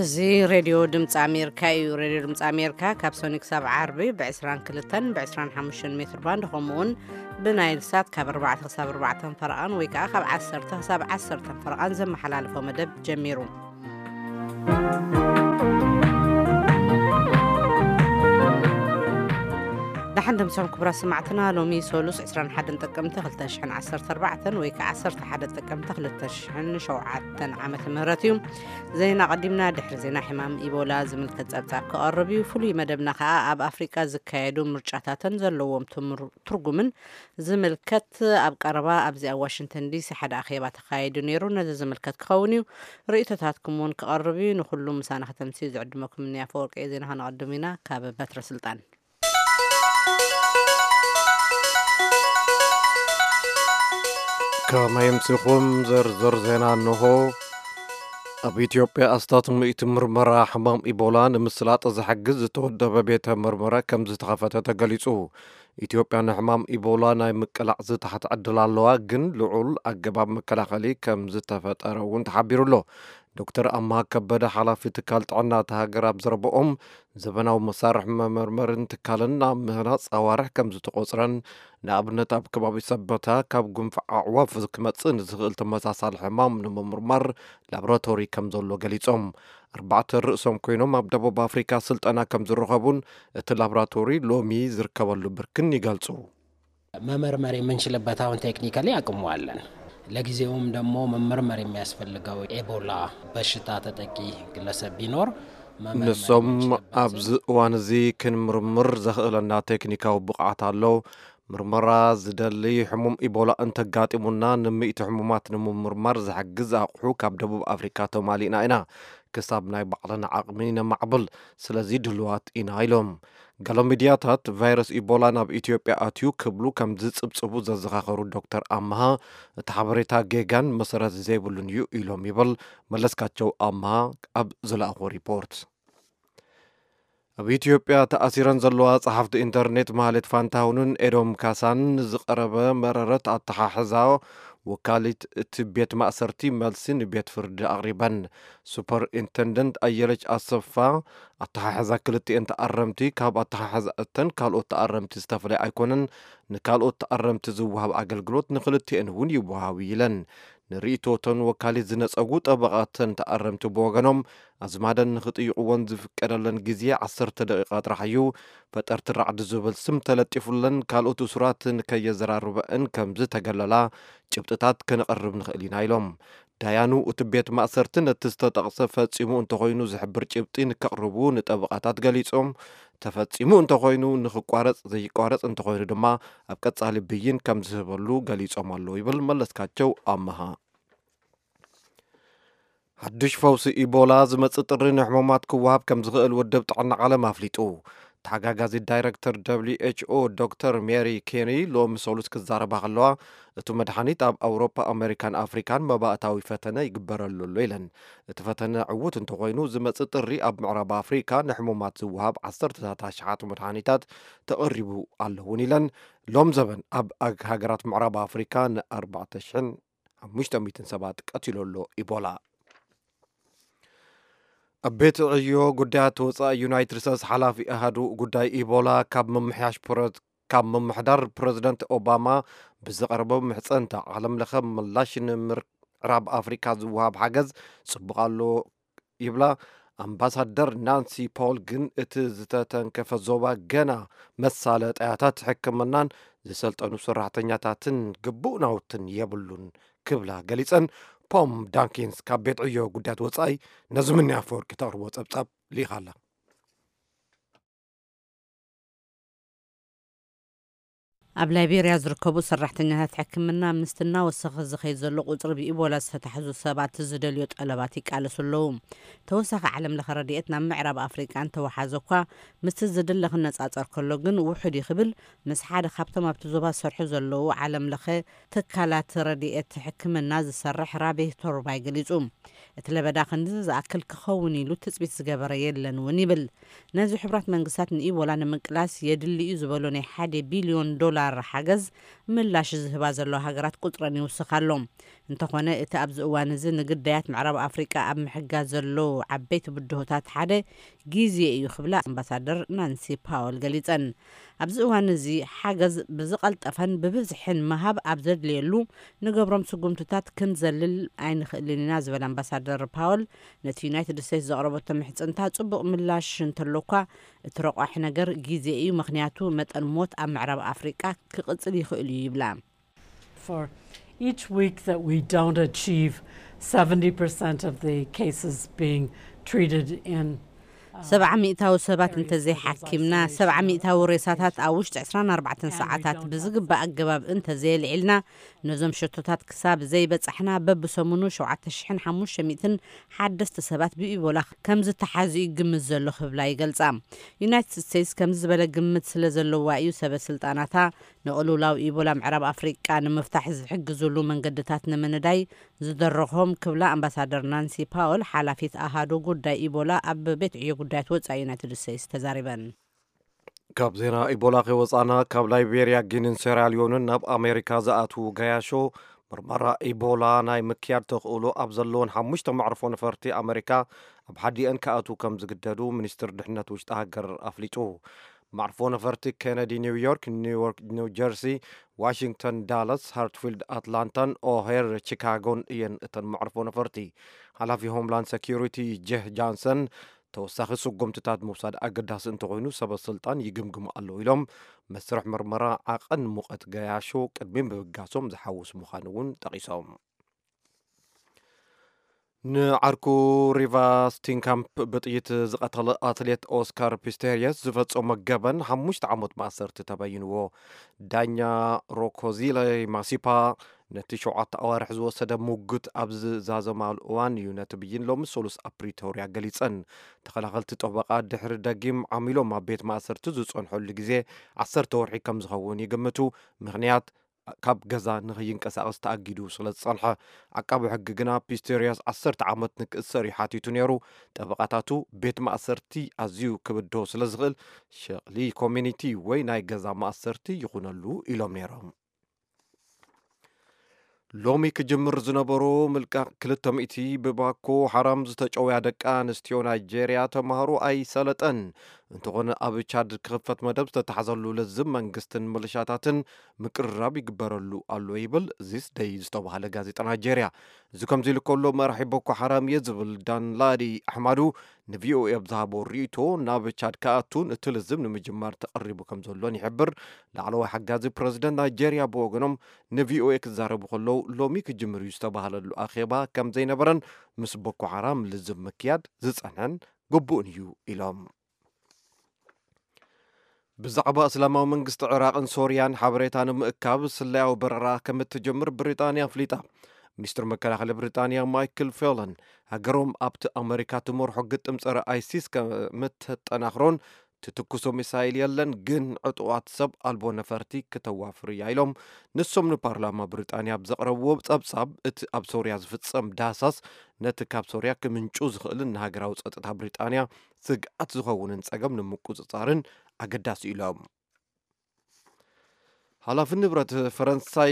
እዚ ሬድዮ ድምፂ ኣሜሪካ እዩ። ሬድዮ ድምፂ ኣሜሪካ ካብ ሰኒ ክሳብ ዓርቢ ብ22ን ብ25 ሜትር ባንድ፣ ከምኡውን ብናይል ሳት ካብ ኣርባዕተ ክሳብ ኣርባዕተን ፈረቓን ወይ ከዓ ካብ ዓሰርተ ክሳብ ዓሰርተን ፈረቓን ዘመሓላልፎ መደብ ጀሚሩ። ደሓን ደምሰኹም ክቡራት ሰማዕትና። ሎሚ ሰሉስ ዕስራን ሓደን ጥቅምቲ ክልተ ሽሕን ዓሰርተ ኣርባዕተን ወይ ከዓ ዓሰርተ ሓደ ጥቅምቲ ክልተ ሽሕን ሸውዓተን ዓመተ ምህረት እዩ። ዜና ቀዲምና፣ ድሕሪ ዜና ሕማም ኢቦላ ዝምልከት ጸብጻብ ክቐርብ እዩ። ፍሉይ መደብና ከዓ ኣብ ኣፍሪቃ ዝካየዱ ምርጫታትን ዘለዎም ትምር-፣ ትርጉምን ዝምልከት ኣብ ቀረባ ኣብዚ ኣብ ዋሽንግተን ዲሲ ሓደ ኣኼባ ተኻይዱ ነይሩ። ነዚ ዝምልከት ክኸውን እዩ። ርእይቶታትኩም እውን ክቐርብ እዩ። ንኹሉ ምሳና ከተምስዩ ዝዕድመኩም እኒ ኣፈወርቂ ዜና ከነቐድም ኢና። ካብ በትረ ስልጣን። ከመይ ኣምሲኹም? ዝርዝር ዜና እንሆ። ኣብ ኢትዮጵያ ኣስታት ሚእቲ ምርመራ ሕማም ኢቦላ ንምስላጥ ዝሕግዝ ዝተወደበ ቤተ ምርመራ ከም ዝተኸፈተ ተገሊጹ። ኢትዮጵያ ንሕማም ኢቦላ ናይ ምቅላዕ ዝተሓተ ዕድል ኣለዋ፣ ግን ልዑል ኣገባብ መከላኸሊ ከም ዝተፈጠረ እውን ተሓቢሩ ኣሎ። ዶክተር ኣምሃ ከበደ፣ ሓላፊ ትካል ጥዕና እታ ሃገር፣ ኣብ ዘረበኦም፣ ዘበናዊ መሳርሒ መመርመርን ትካልን ናብ ምህናፅ ኣዋርሕ ከም ዝተቆፅረን፣ ንኣብነት ኣብ ከባቢ ሰበታ ካብ ጉንፋዕ ኣዕዋፍ ክመፅእ ንዝኽእል ተመሳሳሊ ሕማም ንምምርማር ላቦራቶሪ ከም ዘሎ ገሊፆም። ኣርባዕተ ርእሶም ኮይኖም ኣብ ደቡብ ኣፍሪካ ስልጠና ከም ዝረኸቡን እቲ ላቦራቶሪ ሎሚ ዝርከበሉ ብርክን ይገልፁ። መመርመር የምንችልበት አሁን ቴክኒካሊ አቅሙ አለን። ለጊዜውም ደግሞ መመርመር የሚያስፈልገው ኤቦላ በሽታ ተጠቂ ግለሰብ ቢኖር መመርመር ንሶም የምንችልበት ኣብዚ እዋን እዚ ክንምርምር ዘኽእለና ቴክኒካዊ ብቕዓት ኣሎ። ምርመራ ዝደሊ ሕሙም ኢቦላ እንተጋጢሙና፣ ንምእቲ ሕሙማት ንምምርማር ዝሕግዝ ኣቑሑ ካብ ደቡብ ኣፍሪካ ተማሊእና ኢና። ክሳብ ናይ ባዕልና ዓቕሚ ነማዕብል፣ ስለዚ ድልዋት ኢና ኢሎም። ገለ ሚድያታት ቫይረስ ኢቦላ ናብ ኢትዮጵያ ኣትዩ ክብሉ ከም ዝጽብጽቡ ዘዘኻኸሩ ዶክተር ኣምሃ፣ እቲ ሓበሬታ ጌጋን መሰረት ዘይብሉን እዩ ኢሎም ይብል መለስካቸው ኣምሃ ኣብ ዝለኣኾ ሪፖርት። ኣብ ኢትዮጵያ ተኣሲረን ዘለዋ ጸሓፍቲ ኢንተርኔት ማህሌት ፋንታሁንን ኤዶም ካሳን ንዝቐረበ መረረት ኣተሓሕዛ ወካሊት እቲ ቤት ማእሰርቲ መልሲ ንቤት ፍርዲ ኣቕሪበን። ሱፐር ኢንተንደንት ኣየለች ኣሰፋ ኣተሓሕዛ ክልቲኤን ተኣረምቲ ካብ ኣተሓሕዛ እተን ካልኦት ተኣረምቲ ዝተፈለየ ኣይኮነን፣ ንካልኦት ተኣረምቲ ዝወሃብ ኣገልግሎት ንክልቲኤን እውን ይወሃብ ኢለን። ንርእይቶተን ወካሊት ዝነጸጉ ጠበቓተን ተኣረምቲ ብወገኖም፣ ኣዝማደን ንኽጥይቕወን ዝፍቀደለን ግዜ ዓሰርተ ደቂቓ ጥራሕ እዩ። ፈጠርቲ ራዕዲ ዝብል ስም ተለጢፉለን ካልኦት እሱራት ንከየዘራርበእን ከም ዝተገለላ ጭብጥታት ከነቕርብ ንኽእል ኢና ኢሎም። ዳያኑ እቲ ቤት ማእሰርቲ ነቲ ዝተጠቕሰ ፈጺሙ እንተኾይኑ ዝሕብር ጭብጢ ንከቕርቡ ንጠበቓታት ገሊጾም፣ ተፈጺሙ እንተኾይኑ ንኽቋረጽ፣ ዘይቋረጽ እንተኾይኑ ድማ ኣብ ቀጻሊ ብይን ከም ዝህበሉ ገሊጾም ኣለዉ ይብል መለስካቸው ኣመሃ። ሓድሽ ፈውሲ ኢቦላ ዝመጽእ ጥሪ ንሕሙማት ክወሃብ ከም ዝኽእል ውድብ ጥዕና ዓለም ኣፍሊጡ። ተሓጋጋዚ ዳይረክተር ደብሊው ኤች ኦ ዶክተር ሜሪ ኬሪ ሎሚ ሰሉስ ክዛረባ ከለዋ፣ እቲ መድሓኒት ኣብ ኣውሮፓ፣ ኣሜሪካን ኣፍሪካን መባእታዊ ፈተነ ይግበረሉ ኣሎ ኢለን። እቲ ፈተነ ዕዉት እንተኾይኑ፣ ዝመጽእ ጥሪ ኣብ ምዕራብ ኣፍሪካ ንሕሙማት ዝወሃብ ዓሰርተታት ኣሽሓት መድሓኒታት ተቐሪቡ ኣሎ እውን ኢለን። ሎም ዘበን ኣብ ኣግ-፣ ሃገራት ምዕራብ ኣፍሪካ ን4,500 ሰባት ቀቲሉ ኣሎ ኢቦላ። ኣብ ቤት ዕዮ ጉዳያት ወፃኢ ዩናይትድ ስቴትስ ሓላፊ ኣሃዱ ጉዳይ ኢቦላ ካብ ምምሕያሽ ፕረ-፣ ካብ ምምሕዳር ፕረዚደንት ኦባማ ብዝቐረበ ምሕፀንታ ዓለም ለኸ ምላሽ ንምዕራብ ኣፍሪካ ዝወሃብ ሓገዝ ፅቡቕ ኣሎ ይብላ። ኣምባሳደር ናንሲ ፖል ግን እቲ ዝተተንከፈ ዞባ ገና መሳለጠያታት ሕክምናን ዝሰልጠኑ ሰራሕተኛታትን ግቡእ ናውትን የብሉን ክብላ ገሊጸን። ፖም ዳንኪንስ ካብ ቤት ዕዮ ጉዳያት ወጻኢ ነዚ ምንያ ኣፈወርቂ ተቕርቦ ጸብጻብ ልኢኻ ኣላ። ኣብ ላይቤርያ ዝርከቡ ሰራሕተኛታት ሕክምና ምስቲ እናወሰኸ ዝኸይድ ዘሎ ቁጽሪ ብኢቦላ ዝተታሕዙ ሰባት ዝደልዮ ጠለባት ይቃለሱ ኣለዉ። ተወሳኺ ዓለም ለኸ ረድኤት ናብ ምዕራብ ኣፍሪቃ እንተወሓዘ እኳ ምስቲ ዝድለ ክነጻጸር ከሎ ግን ውሑድ እዩ ክብል ምስ ሓደ ካብቶም ኣብቲ ዞባ ዝሰርሑ ዘለዉ ዓለም ለኸ ትካላት ረድኤት ሕክምና ዝሰርሕ ራቤ ቶርባይ ገሊጹ። እቲ ለበዳ ክንድዚ ዝኣክል ክኸውን ኢሉ ትጽቢት ዝገበረ የለን እውን ይብል። ነዚ ሕቡራት መንግስታት ንኢቦላ ንምቅላስ የድሊ እዩ ዝበሎ ናይ ሓደ ቢልዮን ዶላር ዶላር ሓገዝ ምላሽ ዝህባ ዘለዋ ሃገራት ቁጽረን ይውስኽ ኣሎ። እንተኾነ፣ እቲ ኣብዚ እዋን እዚ ንግዳያት ምዕራብ ኣፍሪቃ ኣብ ምሕጋዝ ዘለዉ ዓበይቲ ብድሆታት ሓደ ግዜ እዩ ክብላ ኣምባሳደር ናንሲ ፓወል ገሊጸን። ኣብዚ እዋን እዚ ሓገዝ ብዝቐልጠፈን ብብዝሕን ምሃብ ኣብ ዘድልየሉ፣ ንገብሮም ስጉምትታት ክንዘልል ኣይንኽእልን ኢና ዝበለ ኣምባሳደር ፓወል፣ ነቲ ዩናይትድ ስቴትስ ዘቕረበቶ ምሕጽንታ ጽቡቕ ምላሽ እንተሎኳ፣ እቲ ረቋሒ ነገር ግዜ እዩ፣ ምኽንያቱ መጠን ሞት ኣብ ምዕራብ ኣፍሪቃ ክቕጽል ይኽእል እዩ ይብላ። For each week that we don't achieve seventy percent of the cases being treated in ሰብዓ ሚእታዊ ሰባት እንተዘይሓኪምና፣ ሰብዓ ሚእታዊ ሬሳታት ኣብ ውሽጢ ዕስራን ኣርባዕተን ሰዓታት ብዝግባእ ኣገባብ እንተዘየልዒልና፣ ነዞም ሸቶታት ክሳብ ዘይበጻሕና፣ በብሰሙኑ ሸውዓተ ሽሕን ሓሙሽተ ሚእትን ሓደስቲ ሰባት ብኢቦላ ከም ዝተሓዙ እዩ ግምት ዘሎ ክብላ ይገልጻ። ዩናይትድ ስቴትስ ከምዚ ዝበለ ግምት ስለ ዘለዋ እዩ ሰበ ስልጣናታ ንቕልውላው ኢቦላ ምዕራብ ኣፍሪቃ ንምፍታሕ ዝሕግዙሉ መንገድታት ንምንዳይ ዝደረኾም ክብላ ኣምባሳደር ናንሲ ፓወል፣ ሓላፊት ኣሃዱ ጉዳይ ኢቦላ ኣብ ቤት ዕዮ ጉዳያት ወጻኢ ዩናይትድ ስቴትስ ተዛሪበን። ካብ ዜና ኢቦላ ከይወፃና፣ ካብ ላይቤርያ፣ ጊኒን ሴራሊዮንን ናብ ኣሜሪካ ዝኣትዉ ገያሾ ምርመራ ኢቦላ ናይ ምክያድ ተኽእሎ ኣብ ዘለዎን ሓሙሽተ መዕርፎ ነፈርቲ ኣሜሪካ ኣብ ሓዲአን ክኣትዉ ከም ዝግደዱ ሚኒስትር ድሕነት ውሽጢ ሃገር ኣፍሊጡ። መዕርፎ ነፈርቲ ኬነዲ ኒውዮርክ፣ ኒውዮርክ ኒውጀርሲ፣ ዋሽንግተን ዳላስ፣ ሃርትፊልድ ኣትላንታን ኦሄር ቺካጎን እየን እተን መዕርፎ ነፈርቲ። ሓላፊ ሆምላንድ ሰኪሪቲ ጄህ ጃንሰን፣ ተወሳኺ ስጉምትታት ምውሳድ ኣገዳሲ እንተኾይኑ ሰበ ስልጣን ይግምግሙ ኣለዉ ኢሎም፣ መስርሕ ምርመራ ዓቐን ሙቐት ገያሾ ቅድሚ ምብጋሶም ዝሓውስ ምዃኑ እውን ጠቒሶም። ንዓርኩ ሪቫ ስቲንካምፕ ብጥይት ዝቐተለ ኣትሌት ኦስካር ፒስቴሪየስ ዝፈጸሞ ገበን ሓሙሽተ ዓመት ማእሰርቲ ተበይንዎ። ዳኛ ሮኮዚለ ማሲፓ ነቲ ሸውዓተ ኣዋርሕ ዝወሰደ ሙግት ኣብ ዝዛዘማሉ እዋን እዩ ነቲ ብይን ሎሚ ሰሉስ ኣብ ፕሪቶርያ ገሊጸን። ተኸላኸልቲ ጠበቓ ድሕሪ ደጊም ዓሚሎም ኣብ ቤት ማእሰርቲ ዝጸንሐሉ ግዜ ዓሰርተ ወርሒ ከም ዝኸውን ይግምቱ። ምኽንያት ካብ ገዛ ንኸይንቀሳቐስ ተኣጊዱ ስለ ዝጸንሐ፣ ዓቃቢ ሕጊ ግና ፒስቴርያስ ዓሰርተ ዓመት ንክእሰር እዩ ሓቲቱ ነይሩ። ጠበቓታቱ፣ ቤት ማእሰርቲ ኣዝዩ ክብድሆ ስለ ዝኽእል፣ ሸቕሊ ኮሚኒቲ ወይ ናይ ገዛ ማእሰርቲ ይኹነሉ ኢሎም ነይሮም። ሎሚ ክጅምር ዝነበሮ ምልቃቕ ክልተ ሚእቲ ብባኮ ሓራም ዝተጨውያ ደቂ ኣንስትዮ ናይጄርያ ተምሃሮ ኣይሰለጠን። እንተኾነ፣ ኣብ ቻድ ክኽፈት መደብ ዝተታሕዘሉ ልዝብ መንግስትን ምልሻታትን ምቅርራብ ይግበረሉ ኣሎ ይብል ዚስ ደይ ዝተባህለ ጋዜጣ ናይጄርያ። እዚ ከምዚ ኢሉ ከሎ፣ መራሒ ቦኮ ሓራም እየ ዝብል ዳንላዲ ኣሕማዱ ንቪኦኤ ኣብ ዝሃቦ ርእይቶ፣ ናብ ቻድ ክኣቱን እቲ ልዝብ ንምጅማር ተቐሪቡ ከም ዘሎን ይሕብር። ላዕለዋይ ሓጋዚ ፕረዚደንት ናይጄርያ ብወገኖም ንቪኦኤ ክዛረቡ ከለዉ፣ ሎሚ ክጅምር እዩ ዝተባህለሉ ኣኼባ ከም ዘይነበረን ምስ ቦኮ ሓራም ልዝብ ምክያድ ዝጸንሐን ግቡእን እዩ ኢሎም። ብዛዕባ እስላማዊ መንግስቲ ዕራቕን ሶርያን ሓበሬታ ንምእካብ ስለያዊ በረራ ከም እትጀምር ብሪጣንያ ኣፍሊጣ። ሚኒስትር መከላኸሊ ብሪጣንያ ማይክል ፌለን፣ ሃገሮም ኣብቲ ኣመሪካ ትመርሖ ግጥም ጸረ ኣይሲስ ከም እተጠናኽሮን ትትኩሶ ሚሳይል የለን፣ ግን ዕጡቓት ሰብ ኣልቦ ነፈርቲ ክተዋፍር እያ ኢሎም። ንሶም ንፓርላማ ብሪጣንያ ኣብ ዘቕረብዎ ጸብጻብ፣ እቲ ኣብ ሶርያ ዝፍጸም ዳህሳስ ነቲ ካብ ሶርያ ክምንጩ ዝኽእልን ንሃገራዊ ጸጥታ ብሪጣንያ ስግኣት ዝኸውንን ጸገም ንምቁጽጻርን ኣገዳሲ ኢሎም። ሓላፊ ንብረት ፈረንሳይ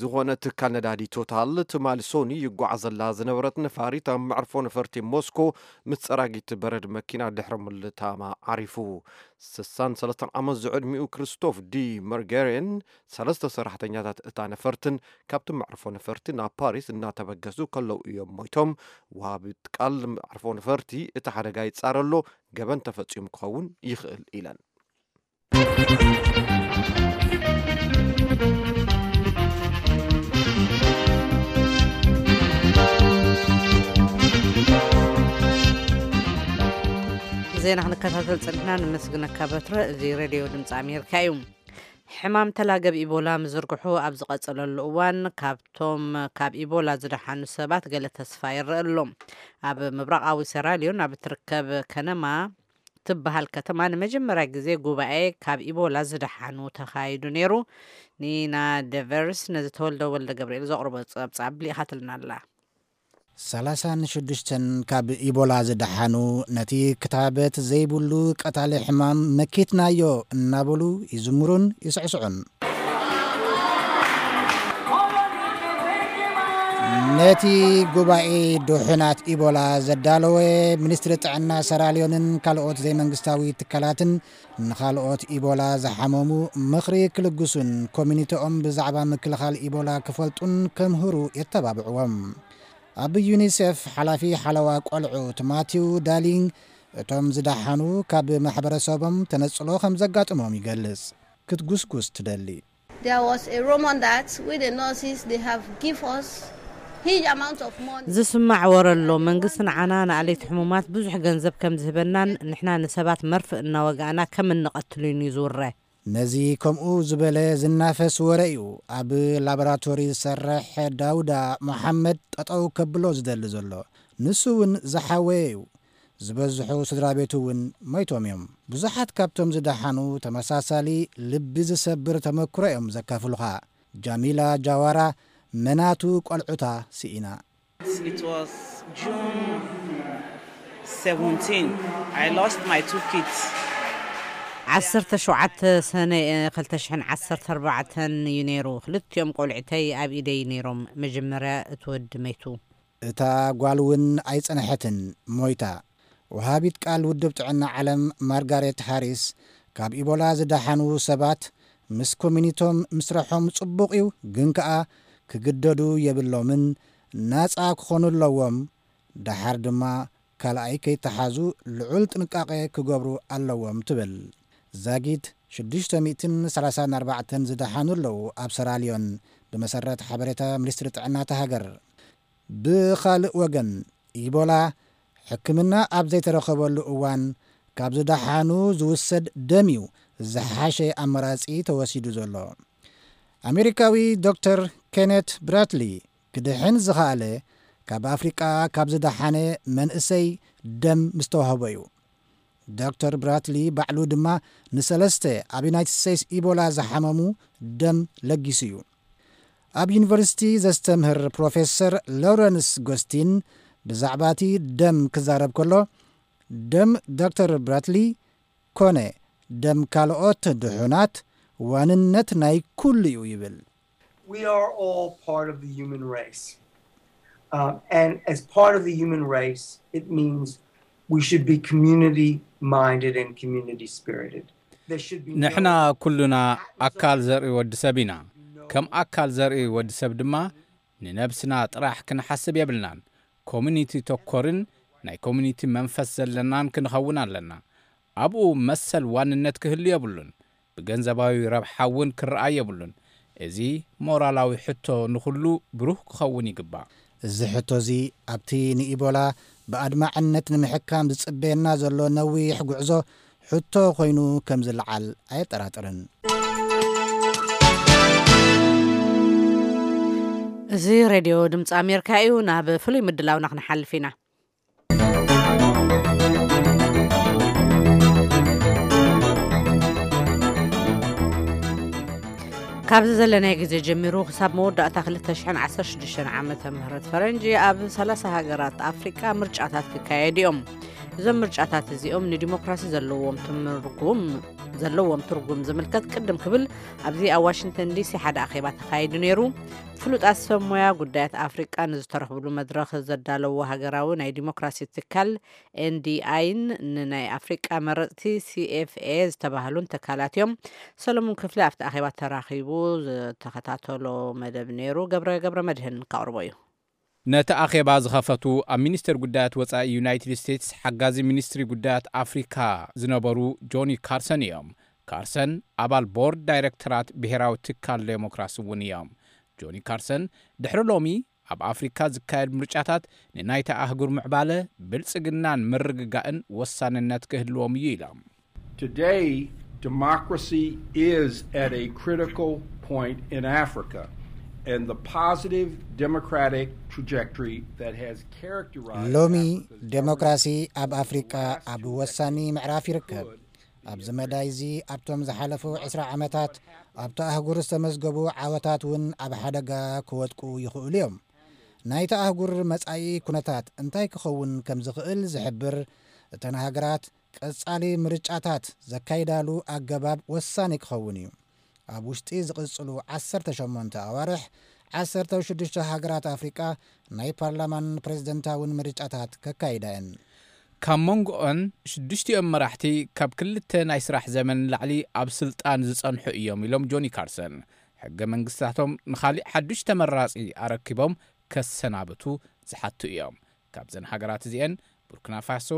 ዝኾነ ትካል ነዳዲ ቶታል፣ ትማሊ ሶኒ ይጓዓዘላ ዝነበረት ነፋሪት ኣብ መዕርፎ ነፈርቲ ሞስኮ ምስ ጸራጊት በረድ መኪና ድሕሪ ምልታማ ዓሪፉ። ስሳን ሰለስተን ዓመት ዝዕድሚኡ ክርስቶፍ ዲ መርጌሬን ሰለስተ ሰራሕተኛታት እታ ነፈርትን ካብቲ መዕርፎ ነፈርቲ ናብ ፓሪስ እናተበገሱ ከለዉ እዮም ሞይቶም። ወሃቢት ቃል መዕርፎ ነፈርቲ፣ እቲ ሓደጋ ይጻረ ኣሎ፣ ገበን ተፈጺሙ ክኸውን ይኽእል ኢለን። ዜና ክንከታተል ጸኒሕና፣ ነመስግነካ በትረ። እዚ ሬድዮ ድምፂ ኣሜሪካ እዩ። ሕማም ተላገብ ኢቦላ ምዝርግሑ ኣብ ዝቐጸለሉ እዋን፣ ካብቶም ካብ ኢቦላ ዝደሓኑ ሰባት ገለ ተስፋ ይረአ ኣሎ። ኣብ ምብራቓዊ ሴራልዮን ኣብ እትርከብ ከነማ ትበሃል ከተማ ንመጀመርያ ግዜ ጉባኤ ካብ ኢቦላ ዝደሓኑ ተኻይዱ ነይሩ። ኒና ደቨርስ ነዚ ተወልደ ወልደ ገብርኤል ዘቕርቦ ጸብጻብ ልኢኻትልና ኣላ። ሰላሳ ንሽዱሽተን ካብ ኢቦላ ዝደሓኑ፣ ነቲ ክታበት ዘይብሉ ቀታሊ ሕማም መኪትናዮ እናበሉ ይዝምሩን ይስዕስዑን። ነቲ ጉባኤ ድሑናት ኢቦላ ዘዳለወ፣ ሚኒስትሪ ጥዕና ሰራልዮንን ካልኦት ዘይመንግስታዊ ትካላትን ንኻልኦት ኢቦላ ዝሓመሙ ምኽሪ ክልግሱን ኮሚኒቲኦም ብዛዕባ ምክልኻል ኢቦላ ክፈልጡን ከምህሩ የተባብዕዎም። ኣብ ዩኒሴፍ ሓላፊ ሓለዋ ቆልዑ ማቲው ዳሊንግ፣ እቶም ዝደሓኑ ካብ ማሕበረሰቦም ተነጽሎ ከም ዘጋጥሞም ይገልጽ። ክትጉስጉስ ትደሊ። There was a rumor that with the nurses they have give us huge amount of money. ዝስማዕ ወረ ኣሎ። መንግስቲ ንዓና ንኣለይቲ ሕሙማት ብዙሕ ገንዘብ ከም ዝህበናን ንሕና ንሰባት መርፍእ እናወጋእና ከም እንቐትሉን እዩ ዝውረ። ነዚ ከምኡ ዝበለ ዝናፈስ ወረ እዩ ኣብ ላቦራቶሪ ዝሰርሕ ዳውዳ መሓመድ ጠጠው ከብሎ ዝደሊ ዘሎ። ንሱ እውን ዝሓወየ እዩ። ዝበዝሑ ስድራ ቤቱ እውን ሞይቶም እዮም። ብዙሓት ካብቶም ዝደሓኑ ተመሳሳሊ ልቢ ዝሰብር ተመክሮ እዮም ዘካፍሉኻ። ጃሚላ ጃዋራ መናቱ ቆልዑታ ስኢና። It was June seventeen. I lost my two kids. ዓሰርተ ሸውዓተ ሰነ ክልተ ሽሕን ዓሰርተ ኣርባዕተን እዩ ነይሩ። ክልቲኦም ቆልዕተይ ኣብ ኢደይ ነይሮም። መጀመርያ እቲ ወዲ መይቱ። እታ ጓል እውን ኣይጸንሐትን፣ ሞይታ። ወሃቢት ቃል ውድብ ጥዕና ዓለም ማርጋሬት ሃሪስ፣ ካብ ኢቦላ ዝደሓኑ ሰባት ምስ ኮሚኒቶም ምስርሖም ጽቡቕ እዩ፣ ግን ከኣ ክግደዱ የብሎምን፣ ናጻ ክኾኑ ኣለዎም። ደሓር ድማ ካልኣይ ከይተሓዙ ልዑል ጥንቃቄ ክገብሩ ኣለዎም ትብል። ዛጊት ሽዱሽተ ሚእትን ሰላሳን ኣርባዕተን ዝደሓኑ ኣለዉ ኣብ ሰራልዮን፣ ብመሰረት ሓበሬታ ሚኒስትሪ ጥዕና እታ ሃገር። ብኻልእ ወገን፣ ኢቦላ ሕክምና ኣብ ዘይተረኸበሉ እዋን፣ ካብ ዝደሓኑ ዝውሰድ ደም እዩ ዝሓሸ ኣማራጺ ተወሲዱ ዘሎ። ኣሜሪካዊ ዶክተር ኬኔት ብራትሊ፣ ክድሕን ዝኸኣለ ካብ ኣፍሪቃ ካብ ዝደሓነ መንእሰይ ደም ምስ ተዋህቦ እዩ። ዶክተር ብራትሊ ባዕሉ ድማ ንሰለስተ ኣብ ዩናይትድ ስቴትስ ኢቦላ ዝሓመሙ ደም ለጊሱ እዩ። ኣብ ዩኒቨርሲቲ ዘስተምህር ፕሮፌሰር ሎረንስ ጎስቲን ብዛዕባ እቲ ደም ክዛረብ ከሎ፣ ደም ዶክተር ብራትሊ ኮነ ደም ካልኦት ድሑናት ዋንነት ናይ ኩሉ እዩ ይብል። We are all part of the human race. Um, and as part of the human race, it means we should be community minded and community spirited. There should be ንሕና ኩሉና ኣካል ዘርኢ ወዲ ሰብ ኢና። ከም ኣካል ዘርኢ ወዲ ሰብ ድማ ንነብስና ጥራሕ ክንሓስብ የብልናን። ኮሚኒቲ ተኮርን ናይ ኮሚኒቲ መንፈስ ዘለናን ክንኸውን ኣለና። ኣብኡ መሰል ዋንነት ክህሉ የብሉን። ብገንዘባዊ ረብሓ እውን ክረኣይ የብሉን። እዚ ሞራላዊ ሕቶ ንኹሉ ብሩህ ክኸውን ይግባእ። እዚ ሕቶ እዚ ኣብቲ ንኢቦላ ብኣድማዕነት ንምሕካም ዝጽበየና ዘሎ ነዊሕ ጉዕዞ ሕቶ ኮይኑ ከም ዝለዓል ኣየጠራጥርን። እዚ ሬድዮ ድምፂ ኣሜሪካ እዩ። ናብ ፍሉይ ምድላውና ክንሓልፍ ኢና። ካብዚ ዘለናይ ግዜ ጀሚሩ ክሳብ መወዳእታ ክልተ ሽሕን ዓሰርተ ሽዱሽተን ዓመተ ምህረት ፈረንጂ ኣብ ሰላሳ ሃገራት ኣፍሪቃ ምርጫታት ክካየዱ እዮም። እዞም ምርጫታት እዚኦም ንዲሞክራሲ ዘለዎም ትርጉም ዘለዎም ትርጉም ዝምልከት ቅድም ክብል ኣብዚ ኣብ ዋሽንግተን ዲሲ ሓደ ኣኼባ ተኻይዱ ነይሩ። ፍሉጣት ሰብ ሞያ ጉዳያት ኣፍሪቃ ንዝተረኽብሉ መድረኽ ዘዳለዎ ሃገራዊ ናይ ዲሞክራሲ ትካል ኤንዲኣይን ንናይ ኣፍሪቃ መረፅቲ ሲኤፍኤ ዝተባህሉን ትካላት እዮም። ሰለሙን ክፍለ ኣብቲ ኣኼባ ተራኺቡ ዝተኸታተሎ መደብ ነይሩ። ገብረ ገብረ መድህን ከቕርቦ እዩ። ነቲ ኣኼባ ዝኸፈቱ ኣብ ሚኒስቴር ጉዳያት ወጻኢ ዩናይትድ ስቴትስ ሓጋዚ ሚኒስትሪ ጉዳያት ኣፍሪካ ዝነበሩ ጆኒ ካርሰን እዮም። ካርሰን ኣባል ቦርድ ዳይሬክተራት ብሔራዊ ትካል ዴሞክራሲ እውን እዮም። ጆኒ ካርሰን ድሕሪ ሎሚ ኣብ ኣፍሪካ ዝካየድ ምርጫታት ንናይታ ኣህጉር ምዕባለ፣ ብልጽግናን ምርግጋእን ወሳንነት ክህልዎም እዩ ኢሎም። Today, democracy is at a critical point in Africa, and the positive democratic trajectory that has characterized ሎሚ Africa's ዴሞክራሲ ኣብ ኣፍሪቃ ኣብ ወሳኒ ምዕራፍ ይርከብ። ኣብዚ መዳይ እዚ ኣብቶም ዝሓለፉ ዕስራ ዓመታት ኣብቲ ኣህጉር ዝተመዝገቡ ዓወታት እውን ኣብ ሓደጋ ክወድቁ ይኽእሉ እዮም። ናይታ ኣህጉር መጻኢ ኩነታት እንታይ ክኸውን ከም ዝኽእል ዝሕብር፣ እተን ሃገራት ቀጻሊ ምርጫታት ዘካይዳሉ ኣገባብ ወሳኒ ክኸውን እዩ። ኣብ ውሽጢ ዝቕጽሉ ዓሰርተ ሸሞንተ ኣዋርሕ ዓሰርተ ሽዱሽተ ሃገራት ኣፍሪቃ ናይ ፓርላማን ፕሬዝደንታውን ምርጫታት ከካይዳ እየን። ካብ መንጎኦን ሽዱሽቲኦም መራሕቲ ካብ ክልተ ናይ ስራሕ ዘመን ንላዕሊ ኣብ ስልጣን ዝጸንሑ እዮም ኢሎም ጆኒ ካርሰን። ሕገ መንግስታቶም ንኻሊእ ሓዱሽ ተመራጺ ኣረኪቦም ከሰናብቱ ዝሓቱ እዮም። ካብዘን ሃገራት እዚአን ቡርኪና ፋሶ፣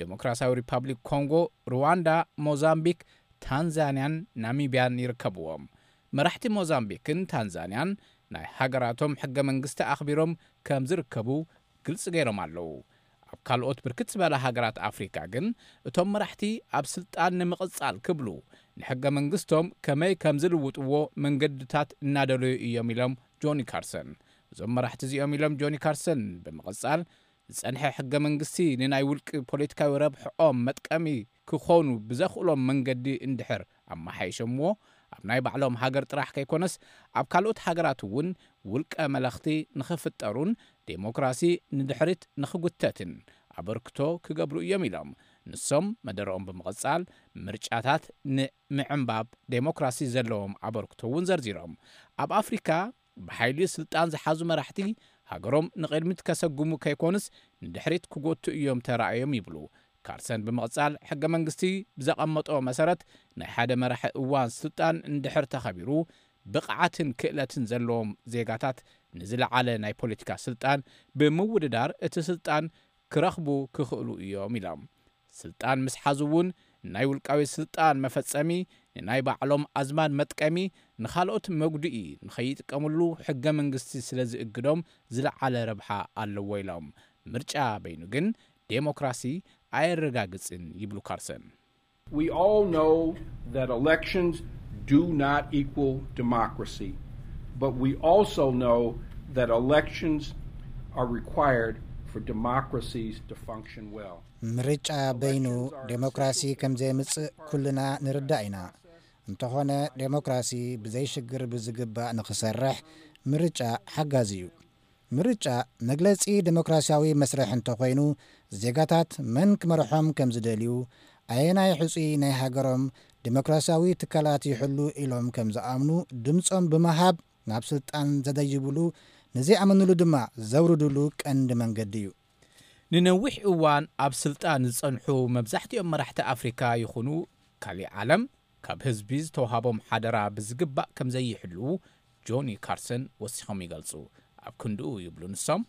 ዴሞክራሲያዊ ሪፓብሊክ ኮንጎ፣ ሩዋንዳ፣ ሞዛምቢክ፣ ታንዛንያን ናሚብያን ይርከብዎም። መራሕቲ ሞዛምቢክን ታንዛንያን ናይ ሃገራቶም ሕገ መንግስቲ ኣኽቢሮም ከም ዝርከቡ ግልፂ ገይሮም ኣለዉ። ኣብ ካልኦት ብርክት ዝበላ ሃገራት ኣፍሪካ ግን እቶም መራሕቲ ኣብ ስልጣን ንምቕፃል ክብሉ ንሕገ መንግስቶም ከመይ ከም ዝልውጥዎ መንገድታት እናደለዩ እዮም ኢሎም ጆኒ ካርሰን። እዞም መራሕቲ እዚኦም ኢሎም ጆኒ ካርሰን ብምቕፃል ዝጸንሐ ሕገ መንግስቲ ንናይ ውልቂ ፖለቲካዊ ረብሕኦም መጥቀሚ ክኾኑ ብዘኽእሎም መንገዲ እንድሕር ኣመሓይሸምዎ ኣብ ናይ ባዕሎም ሃገር ጥራሕ ከይኮነስ ኣብ ካልኦት ሃገራት እውን ውልቀ መለኽቲ ንኽፍጠሩን ዴሞክራሲ ንድሕሪት ንኽጉተትን ኣበርክቶ ክገብሩ እዮም ኢሎም። ንሶም መደረኦም ብምቕጻል ምርጫታት ንምዕንባብ ዴሞክራሲ ዘለዎም ኣበርክቶ እውን ዘርዚሮም። ኣብ ኣፍሪካ ብሓይሊ ስልጣን ዝሓዙ መራሕቲ ሃገሮም ንቕድሚት ከሰጉሙ ከይኮኑስ ንድሕሪት ክጎቱ እዮም ተራእዮም ይብሉ። ካርሰን ብምቕጻል ሕገ መንግስቲ ብዘቐመጦ መሰረት ናይ ሓደ መራሒ እዋን ስልጣን እንድሕር ተኸቢሩ ብቕዓትን ክእለትን ዘለዎም ዜጋታት ንዝለዓለ ናይ ፖለቲካ ስልጣን ብምውድዳር እቲ ስልጣን ክረኽቡ ክኽእሉ እዮም ኢሎም። ስልጣን ምስ ሓዙ እውን ናይ ውልቃዊ ስልጣን መፈጸሚ ንናይ ባዕሎም ኣዝማድ መጥቀሚ ንኻልኦት መጉድኢ ንኸይጥቀምሉ ሕገ መንግስቲ ስለ ዝእግዶም ዝለዓለ ረብሓ ኣለዎ ኢሎም። ምርጫ በይኑ ግን ዴሞክራሲ ኣየረጋግጽን ይብሉ ካርሰን። We all know that elections do not equal democracy, but we also know that elections are required for democracies to function well. ምርጫ በይኑ ዴሞክራሲ ከም ዘየምጽእ ኩልና ንርዳእ ኢና። እንተኾነ ዴሞክራሲ ብዘይሽግር ብዝግባእ ንኽሰርሕ ምርጫ ሓጋዚ እዩ። ምርጫ መግለጺ ዴሞክራሲያዊ መስርሕ እንተኾይኑ ዜጋታት መን ክመርሖም ከም ዝደልዩ፣ ኣየናይ ሕጹይ ናይ ሃገሮም ዴሞክራሲያዊ ትካላት ይሕሉ ኢሎም ከም ዝኣምኑ ድምጾም ብምሃብ ናብ ስልጣን ዘደይብሉ፣ ንዘይኣመንሉ ድማ ዘውርድሉ ቀንዲ መንገዲ እዩ። ንነዊሕ እዋን ኣብ ስልጣን ዝጸንሑ መብዛሕትኦም መራሕቲ ኣፍሪካ ይኹኑ ካሊእ ዓለም ካብ ህዝቢ ዝተዋሃቦም ሓደራ ብዝግባእ ከም ዘይሕልዉ ጆኒ ካርሰን ወሲኾም ይገልጹ። ኣብ ክንድኡ ይብሉ ንሶም።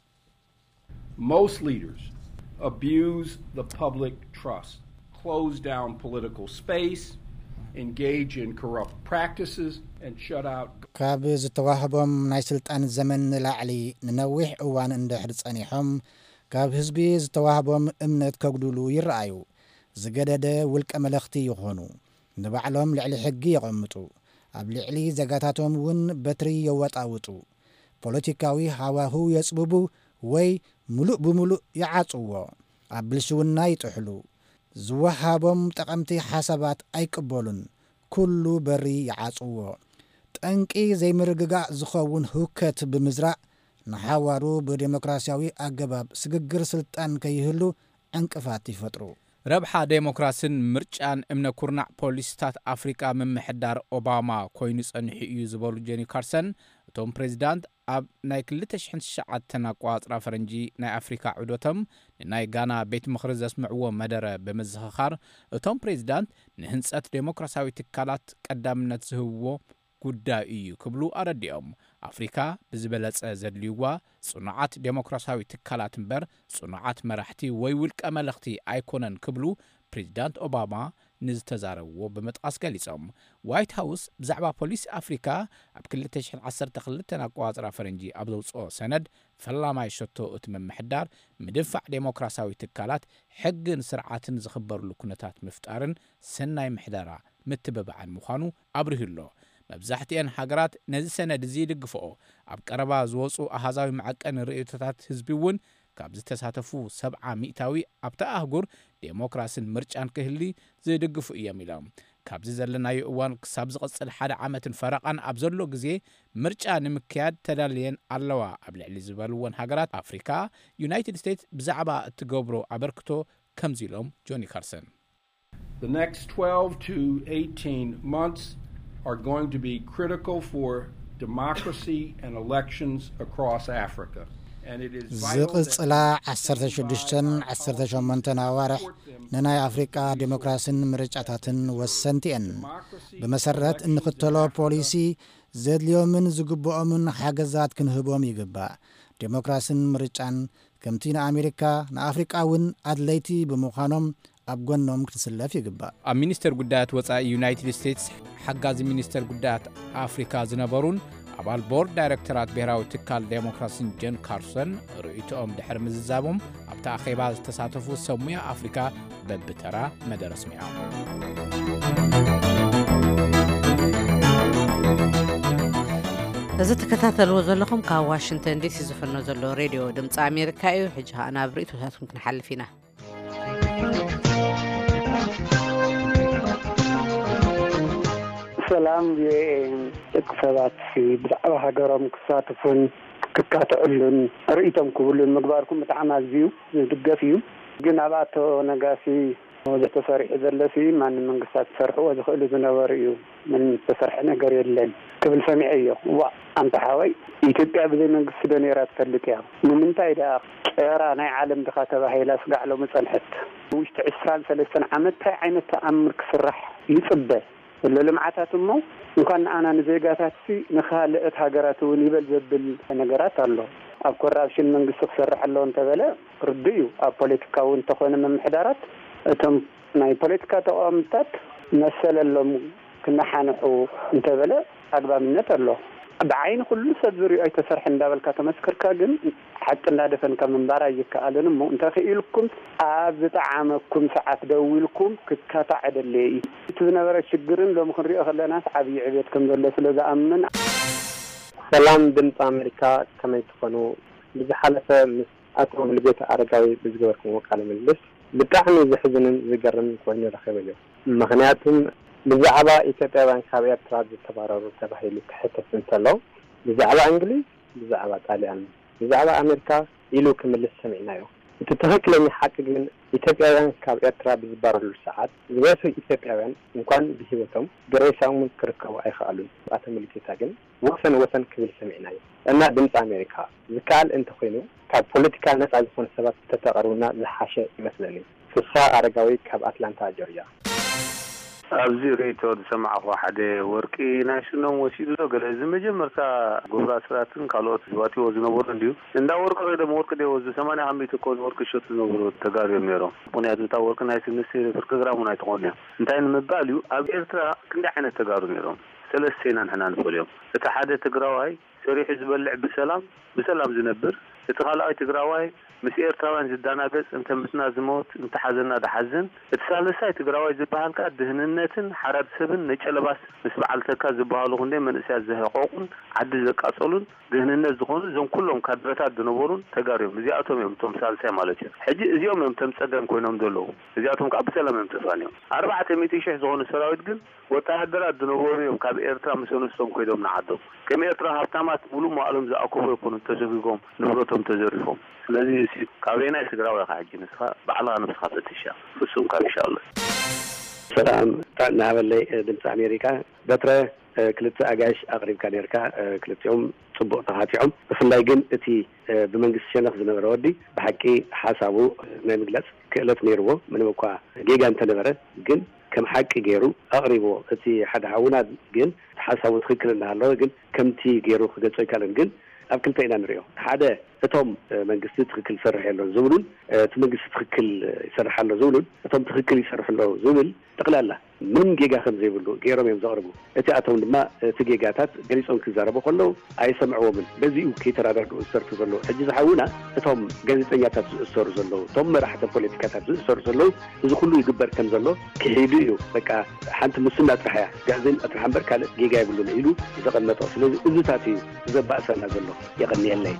Most leaders abuse the public trust, close down political space, engage in corrupt practices, and shut out ካብ ዝተዋህቦም ናይ ስልጣን ዘመን ንላዕሊ ንነዊሕ እዋን እንድሕር ጸኒሖም ካብ ህዝቢ ዝተዋህቦም እምነት ከጉድሉ ይረኣዩ። ዝገደደ ውልቀ መለኽቲ ይኾኑ። ንባዕሎም ልዕሊ ሕጊ የቐምጡ። ኣብ ልዕሊ ዜጋታቶም እውን በትሪ የወጣውጡ። ፖለቲካዊ ሃዋህው የጽብቡ ወይ ምሉእ ብምሉእ ይዓጽዎ። ኣብ ብልሽውና ይጥሕሉ። ዝወሃቦም ጠቐምቲ ሓሳባት ኣይቅበሉን። ኩሉ በሪ ይዓጽዎ። ጠንቂ ዘይምርግጋእ ዝኸውን ህውከት ብምዝራእ ንሓዋሩ ብዴሞክራሲያዊ ኣገባብ ስግግር ስልጣን ከይህሉ ዕንቅፋት ይፈጥሩ። ረብሓ ዴሞክራስን ምርጫን እምነ ኩርናዕ ፖሊሲታት ኣፍሪቃ ምምሕዳር ኦባማ ኮይኑ ጸኒሑ እዩ ዝበሉ ጆኒ ካርሰን፣ እቶም ፕሬዚዳንት ኣብ ናይ ክልተ ሽሕን ትሽዓተን ኣቋጽራ ፈረንጂ ናይ ኣፍሪካ ዑደቶም ንናይ ጋና ቤት ምኽሪ ዘስምዕዎ መደረ ብምዝኽኻር፣ እቶም ፕሬዚዳንት ንህንጸት ዴሞክራሲያዊ ትካላት ቀዳምነት ዝህብዎ ጉዳይ እዩ ክብሉ ኣረዲኦም። ኣፍሪካ ብዝበለጸ ዘድልይዋ ጽኑዓት ዴሞክራሲያዊ ትካላት እምበር ጽኑዓት መራሕቲ ወይ ውልቀ መለኽቲ ኣይኮነን ክብሉ ፕሬዚዳንት ኦባማ ንዝተዛረብዎ ብምጥቃስ ገሊጾም። ዋይት ሃውስ ብዛዕባ ፖሊሲ ኣፍሪካ ኣብ ክልተ ሽሕን ዓሰርተ ክልተን ኣቋጽራ ፈረንጂ ኣብ ዘውፅኦ ሰነድ ፈላማይ ሸቶ እቲ ምምሕዳር ምድንፋዕ ዴሞክራሲያዊ ትካላት ሕግን ስርዓትን ዝኽበርሉ ኩነታት ምፍጣርን ሰናይ ምሕደራ ምትብባዕን ምዃኑ ኣብሪሁ ኣሎ። መብዛሕትኤን ሃገራት ነዚ ሰነድ እዚ ይድግፍኦ። ኣብ ቀረባ ዝወፁ ኣሃዛዊ መዐቀኒ ርእይቶታት ህዝቢ እውን ካብ ዝተሳተፉ ሰብዓ ሚእታዊ ኣብታ ኣህጉር ዴሞክራስን ምርጫን ክህሊ ዝድግፉ እዮም ኢሎም። ካብዚ ዘለናዮ እዋን ክሳብ ዝቕፅል ሓደ ዓመትን ፈረቓን ኣብ ዘሎ ግዜ ምርጫ ንምክያድ ተዳልየን ኣለዋ ኣብ ልዕሊ ዝበልወን ሃገራት ኣፍሪካ ዩናይትድ ስቴትስ ብዛዕባ እትገብሮ ኣበርክቶ ከምዚ ኢሎም ጆኒ ካርሰን። The next twelve to eighteen months are going to be critical for democracy and elections across Africa. And it is vital that ዝቕጽላ ዓሰርተ ሽዱሽተን ዓሰርተ ሸሞንተን ኣዋርሕ ንናይ ኣፍሪቃ ዴሞክራስን ምርጫታትን ወሰንቲ እየን። ብመሰረት እንኽተሎ ፖሊሲ ዘድልዮምን ዝግብኦምን ሓገዛት ክንህቦም ይግባእ። ዴሞክራስን ምርጫን ከምቲ ንኣሜሪካ ንኣፍሪቃ እውን ኣድለይቲ ብምዃኖም ኣብ ጎኖም ክትስለፍ ይግባእ። ኣብ ሚኒስተር ጉዳያት ወጻኢ ዩናይትድ ስቴትስ ሓጋዚ ሚኒስተር ጉዳያት ኣፍሪካ ዝነበሩን ኣባል ቦርድ ዳይረክተራት ብሔራዊ ትካል ዴሞክራሲን ጀን ካርሰን ርእይቶኦም ድሕሪ ምዝዛቦም ኣብቲ ኣኼባ ዝተሳተፉ ሰብ ሙያ ኣፍሪካ በብተራ መደረ ኣስሚዖም። እዚ ትከታተልዎ ዘለኹም ካብ ዋሽንግተን ዲሲ ዝፍኖ ዘሎ ሬድዮ ድምፂ ኣሜሪካ እዩ። ሕጂ ከዓ ናብ ርእይቶታትኩም ክንሓልፍ ኢና። ሰላም ቪኦኤ። ደቂ ሰባት ብዛዕባ ሃገሮም ክሳትፉን ክካትዕሉን ርእይቶም ክብሉን ምግባርኩም ብጣዕሚ ኣዝዩ ዝድገፍ እዩ። ግን ኣብ ኣቶ ነጋሲ ብዙሕ ተሰሪሑ ዘለሲ ማንም መንግስታት ክሰርሕዎ ዝኽእሉ ዝነበሩ እዩ። ምንም ዝተሰርሐ ነገር የለን ክብል ሰሚዐ እዮ። ዋ ኣንታ ሓወይ፣ ኢትዮጵያ ብዘይ መንግስቲ ዶ ነይራ ትፈልጥ እያ? ንምንታይ ደኣ ጨራ ናይ ዓለም ድኻ ተባሂላ ስጋዕ ሎሚ ጸንሐት? ውሽጢ ዕስራን ሰለስተን ዓመት እንታይ ዓይነት ተኣምር ክስራሕ ይጽበ? ዘሎ ልምዓታት እሞ እንኳን ንኣና ንዜጋታትሲ ንኻልኦት ሃገራት እውን ይበል ዘብል ነገራት ኣሎ። ኣብ ኮራፕሽን መንግስቲ ክሰርሕ ኣለዎ እንተበለ ርዱእ እዩ። ኣብ ፖለቲካ እውን እንተኾነ ምምሕዳራት እቶም ናይ ፖለቲካ ተቃወምታት መሰለሎም ክነሓንሑ እንተበለ ኣግባብነት ኣሎ። ብዓይኒ ኩሉ ሰብ ዝሪኦ ኣይተሰርሐ እንዳበልካ ተመስከርካ ግን ሓቂ እንዳደፈንካ ምንባር ኣይከኣልን እሞ እንተኽኢልኩም ኣብ ዝጠዓመኩም ሰዓት ደዊልኩም ክካታዕ እደሊ እየ። እቲ ዝነበረ ሽግርን ሎሚ ክንሪኦ ከለናስ ዓብዪ ዕቤት ከም ዘሎ ስለ ዝኣምን። ሰላም ድምፂ ኣሜሪካ፣ ከመይ ትኾኑ? ብዝሓለፈ ምስ ኣቶ ሙሉጌታ ኣረጋዊ ብዝገበርኩምዎ ቃለ ምልልስ ብጣዕሚ ዘሕዝንን ዝገርምን ኮይኑ ረኺበዮ። ምኽንያቱም ብዛዕባ ኢትዮጵያውያን ካብ ኤርትራ ዝተባረሩ ተባሂሉ ክሕተት እንተሎ ብዛዕባ እንግሊዝ፣ ብዛዕባ ጣልያን፣ ብዛዕባ ኣሜሪካ ኢሉ ክምልስ ሰሚዕናዮ። እቲ ትኽክለኛ ሓቂ ግን ኢትዮጵያውያን ካብ ኤርትራ ብዝባረሩሉ ሰዓት ዝበዝሑ ኢትዮጵያውያን እንኳን ብህይወቶም ብሬሳኦም እውን ክርከቡ ኣይኸኣሉን። ኣቶ ሙሉጌታ ግን ወሰን ወሰን ክብል ሰሚዕናዮ። እና ድምፂ ኣሜሪካ ዝከኣል እንተኾይኑ ካብ ፖለቲካ ነፃ ዝኾኑ ሰባት እንተተቕርቡና ዝሓሸ ይመስለኒ። ፍስሃ ኣረጋዊ ካብ ኣትላንታ ጆርጅያ። ኣብዚ ርእይቶ ዝሰማዕኹ ሓደ ወርቂ ናይ ስኖም ወሲዱ ዶ ገለ እዚ መጀመርታ ጎብራ ስራትን ካልኦት ዝዋጥዎ ዝነበሩ እንድዩ እንዳ ወርቂ ከይዶም ወርቂ ዶ ይወስዱ ሰማንያ ካብ ሚእቲ እኮ ወርቂ ዝሸጡ ዝነበሩ ተጋሩ እዮም ነይሮም። ምኽንያቱ እታ ወርቂ ናይ ስንስ ኤሌክትሪክ ግራም እውን ኣይትኾን እያ። እንታይ ንምባል እዩ ኣብ ኤርትራ ክንደይ ዓይነት ተጋሩ ነይሮም? ሰለስተ ኢና ንሕና ንፈልዮም። እቲ ሓደ ትግራዋይ ሰሪሑ ዝበልዕ ብሰላም ብሰላም ዝነብር፣ እቲ ካልኣይ ትግራዋይ ምስ ኤርትራውያን ዝዳናገጽ እንተ ምስና ዝሞት እንተ ሓዘና ድሓዝን፣ እቲ ሳልሳይ ትግራዋይ ዝበሃል ከኣ ድህንነትን ሓራድ ሰብን ነጨለባስ ምስ በዓል ተካ ዝበሃሉ ክንደይ መንእሰያት ዘህቆቁን ዓዲ ዘቃጸሉን ድህንነት ዝኾኑ እዞም ኩሎም ካድረታት ዝነበሩን ተጋሩ እዮም። እዚኣቶም እዮም እቶም ሳልሳይ ማለት እዩ። ሕጂ እዚኦም እዮም እቶም ጸገም ኮይኖም ዘለዉ። እዚኣቶም ከኣ ብሰላም እዮም ተፋንዮም። ኣርባዕተ ሚእቲ ሽሕ ዝኾኑ ሰራዊት ግን ወተሃደራት ዝነበሩ እዮም ካብ ኤርትራ ምስ ኣንስቶም ኮይዶም ንዓዶም። ከም ኤርትራ ሃብታማት ሙሉእ መዋእሎም ዝኣከቡ ኣይኮኑን ተሰጒጎም ንብረቶም ተዘሪፎም። ስለዚ እሲ ካበየናይ ትግራዋይ ኢኻ ሕጂ ንስኻ ባዕልኻ ነብስኻ ፈትሻ ፍጹም ካብ ይሻሎ። ሰላም ጥዕና ሃበለይ ድምፂ ኣሜሪካ። በትረ ክልተ ኣጋይሽ ኣቕሪብካ ነርካ፣ ክልቲኦም ጽቡቕ ተኻቲዖም። ብፍላይ ግን እቲ ብመንግስቲ ሸነኽ ዝነበረ ወዲ ብሓቂ ሓሳቡ ናይ ምግላጽ ክእለት ነይርዎ። ምንም እኳ ጌጋ እንተነበረ ግን ከም ሓቂ ገይሩ ኣቕሪብዎ። እቲ ሓደ ሓውና ግን ሓሳቡ ትኽክል እናሃለወ ግን ከምቲ ገይሩ ክገልጾ ኣይካለን። ግን ኣብ ክልተ ኢና ንሪኦ። ሓደ እቶም መንግስቲ ትኽክል ይሰርሕ የሎን ዝብሉን እቲ መንግስቲ ትኽክል ይሰርሕ ኣሎ ዝብሉን እቶም ትኽክል ይሰርሕ ኣሎ ዝብል ጠቕላላ ምንም ጌጋ ከም ዘይብሉ ገይሮም እዮም ዘቕርቡ። እቲኣቶም ድማ እቲ ጌጋታት ገሊጾም ክዛረቡ ከለዉ ኣይሰምዕዎምን። በዚኡ ከይተረዳድኡ ዝሰርሑ ዘለዉ። ሕጂ ዝሓውና እቶም ጋዜጠኛታት ዝእሰሩ ዘለዉ፣ እቶም መራሕቲ ፖለቲካታት ዝእሰሩ ዘለዉ፣ እዚ ኩሉ ይግበር ከም ዘሎ ክሒዱ እዩ። በቃ ሓንቲ ሙስና ጥራሕ እያ፣ ጋዜን ጥራሕ እምበር ካልእ ጌጋ የብሉን ኢሉ ዘቐመጦ። ስለዚ እዚታት እዩ ዘባእሰና ዘሎ። የቐንየለይ።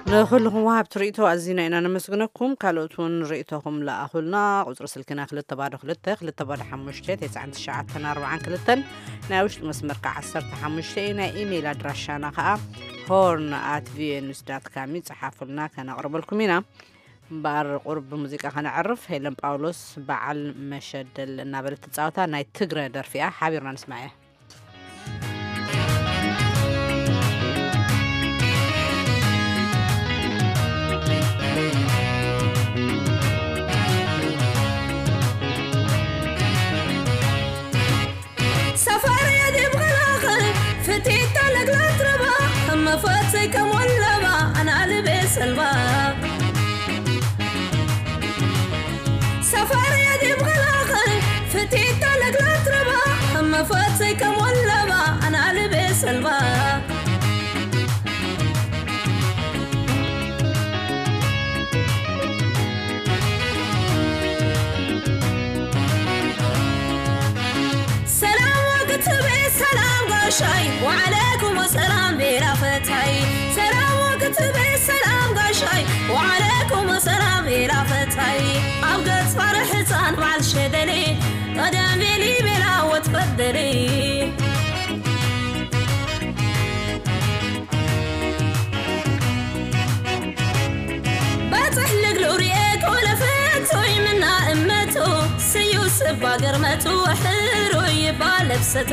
ንኹልኹም ወሃብቲ ርእቶ ኣዚና ኢና ነመስግነኩም። ካልኦት እውን ርእቶኹም ለኣኹልና። ቁጽሪ ስልክና ክልተ ባዶ ክልተ ክልተ ባዶ ሓሙሽተ ተስዓን ትሽዓተን ኣርባዓን ክልተን፣ ናይ ውሽጢ መስመር ከዓ ዓሰርተ ሓሙሽተ እዩ። ናይ ኢሜይል ኣድራሻና ከዓ ሆርን ኣት ቪኦኤ ኒውስ ዳት ካም እዩ። ጸሓፉልና፣ ከነቕርበልኩም ኢና። እምበኣር ቁሩብ ብሙዚቃ ከነዕርፍ። ሄለን ጳውሎስ በዓል መሸደል እናበለት ትጻወታ ናይ ትግረ ደርፊ እያ። ሓቢርና ንስማዕ እያ። ሰፈር የዲብ ኸላኸ ፍቲታ ለግላት ረባ እመፈት ዘይከሞለባ ኣናልቤ ሰልባ ሰፈር የዲብ ኸላኸ ፍቲታ ለግላት ረባ እመፈት ዘይከሞለባ ኣናልቤ ሰልባ ሰላም ወክትቤ ሰላም ጋሻይ ወዓለይኩም ሰላም ቤራ ፈታይ ሰላም ወክትቤ ሰላም ጋሻይ ወዓለይኩም ሰላም ቤራ ፈታይ ኣብ ገጽ ባር ሕፃን በዓል ሸደሌ ቀደም ቤሊ ቤላ ወትፈደሌ ባጽሕ ልግሉ ርኤ ኮለፈት ቶይምና እመቱ ስዩ ስባ ገርመቱ ሕሩ ይባ ለብሰቱ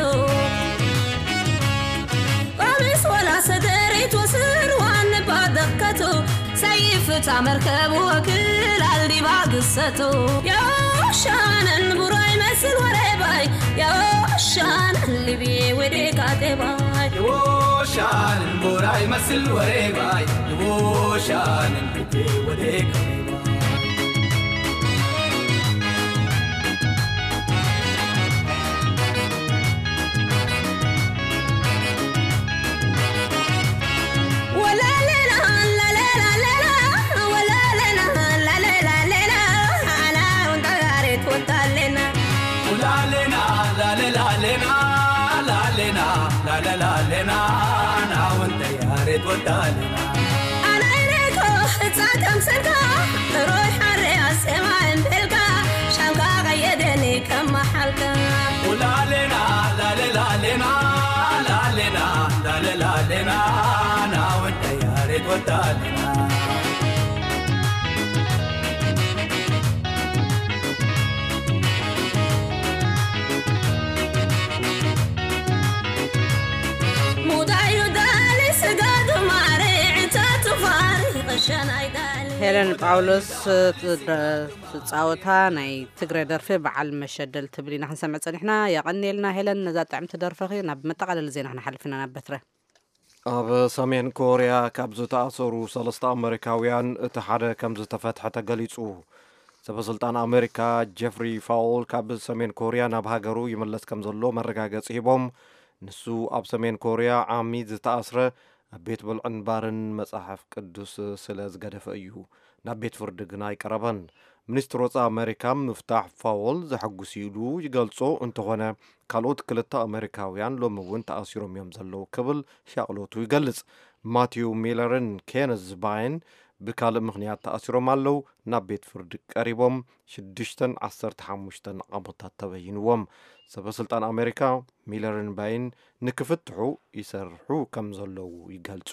ቀሚስ ወላ ሰደሪት ወስር ዋን ባደከቱ ሰይፍታ መርከብ ወክል ኣልዲባ ግሰቱ የሻነን ቡራይ መስል ወሬባይ የሻነን ልብዬ ወዴ ካቴባይ Devotion, Burai Masil Warebai, Devotion, Wade Kariba. ኣናይነይኮ እጻ ከምሰልካ ሮይ ሓርያ ሴማ እንበልካ ሻምካ ቀየደኒ ከመሓልካ ኡላሌና ላሌላሌና ላሌና ላሌላሌና ናወንተ ያሬድ ወዳሌና ሄለን ጳውሎስ ትጻወታ ናይ ትግረ ደርፊ በዓል መሸደል ትብል ኢና ክንሰምዕ ጸኒሕና። የቐንየልና ሄለን ነዛ ጥዕምቲ ደርፈኺ። ናብ መጠቓለሊ ዜና ክንሓልፍ ኢና ናብ በትረ። ኣብ ሰሜን ኮርያ ካብ ዝተኣሰሩ ሰለስተ ኣመሪካውያን እቲ ሓደ ከም ዝተፈትሐ ተገሊጹ። ሰበስልጣን ኣመሪካ ጀፍሪ ፋውል ካብ ሰሜን ኮርያ ናብ ሃገሩ ይምለስ ከም ዘሎ መረጋገጺ ሂቦም። ንሱ ኣብ ሰሜን ኮርያ ዓሚ ዝተኣስረ ኣብ ቤት ብልዕን ባርን መጽሓፍ ቅዱስ ስለ ዝገደፈ እዩ። ናብ ቤት ፍርዲ ግና ኣይቀረበን። ሚኒስትር ወጻኢ ኣመሪካ ምፍታሕ ፋውል ዘሐጉስ ኢሉ ይገልጾ እንተኾነ ካልኦት ክልተ ኣመሪካውያን ሎሚ እውን ተኣሲሮም እዮም ዘለዉ ክብል ሻቕሎቱ ይገልጽ። ማቲው ሚለርን ኬነዝ ባይን ብካልእ ምኽንያት ተኣሲሮም ኣለዉ። ናብ ቤት ፍርዲ ቀሪቦም ሽዱሽተን ዓሰርተ ሓሙሽተን ዓመታት ተበይንዎም። ሰበ ስልጣን ኣሜሪካ ሚለርን ባይን ንክፍትሑ ይሰርሑ ከም ዘለዉ ይገልጹ።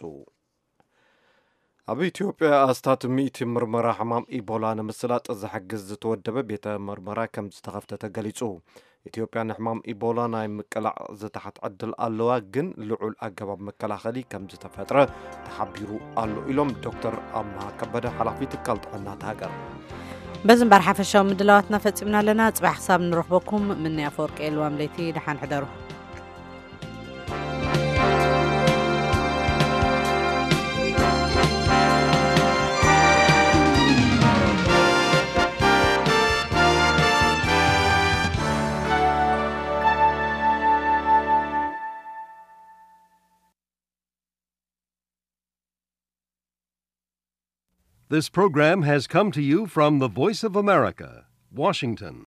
ኣብ ኢትዮጵያ ኣስታት ሚእቲ ምርመራ ሕማም ኢቦላ ንምስላጥ ዝሕግዝ ዝተወደበ ቤተ ምርመራ ከም ዝተኸፍተ ተገሊጹ። ኢትዮጵያ ንሕማም ኢቦላ ናይ ምቅላዕ ዝተሓት ዕድል ኣለዋ፣ ግን ልዑል ኣገባብ መከላኸሊ ከም ዝተፈጥረ ተሓቢሩ ኣሎ ኢሎም ዶክተር ኣምሃ ከበደ ሓላፊ ትካል ጥዕና እታ ሃገር። በዚ እምበር ሓፈሻዊ ምድላዋትና ፈጺምና ኣለና። ጽባሕ ክሳብ ንረኽበኩም ምንያ ኣፈወርቂ የልዋም ለይቲ ደሓን ሕደሩ። This program has come to you from the Voice of America, Washington.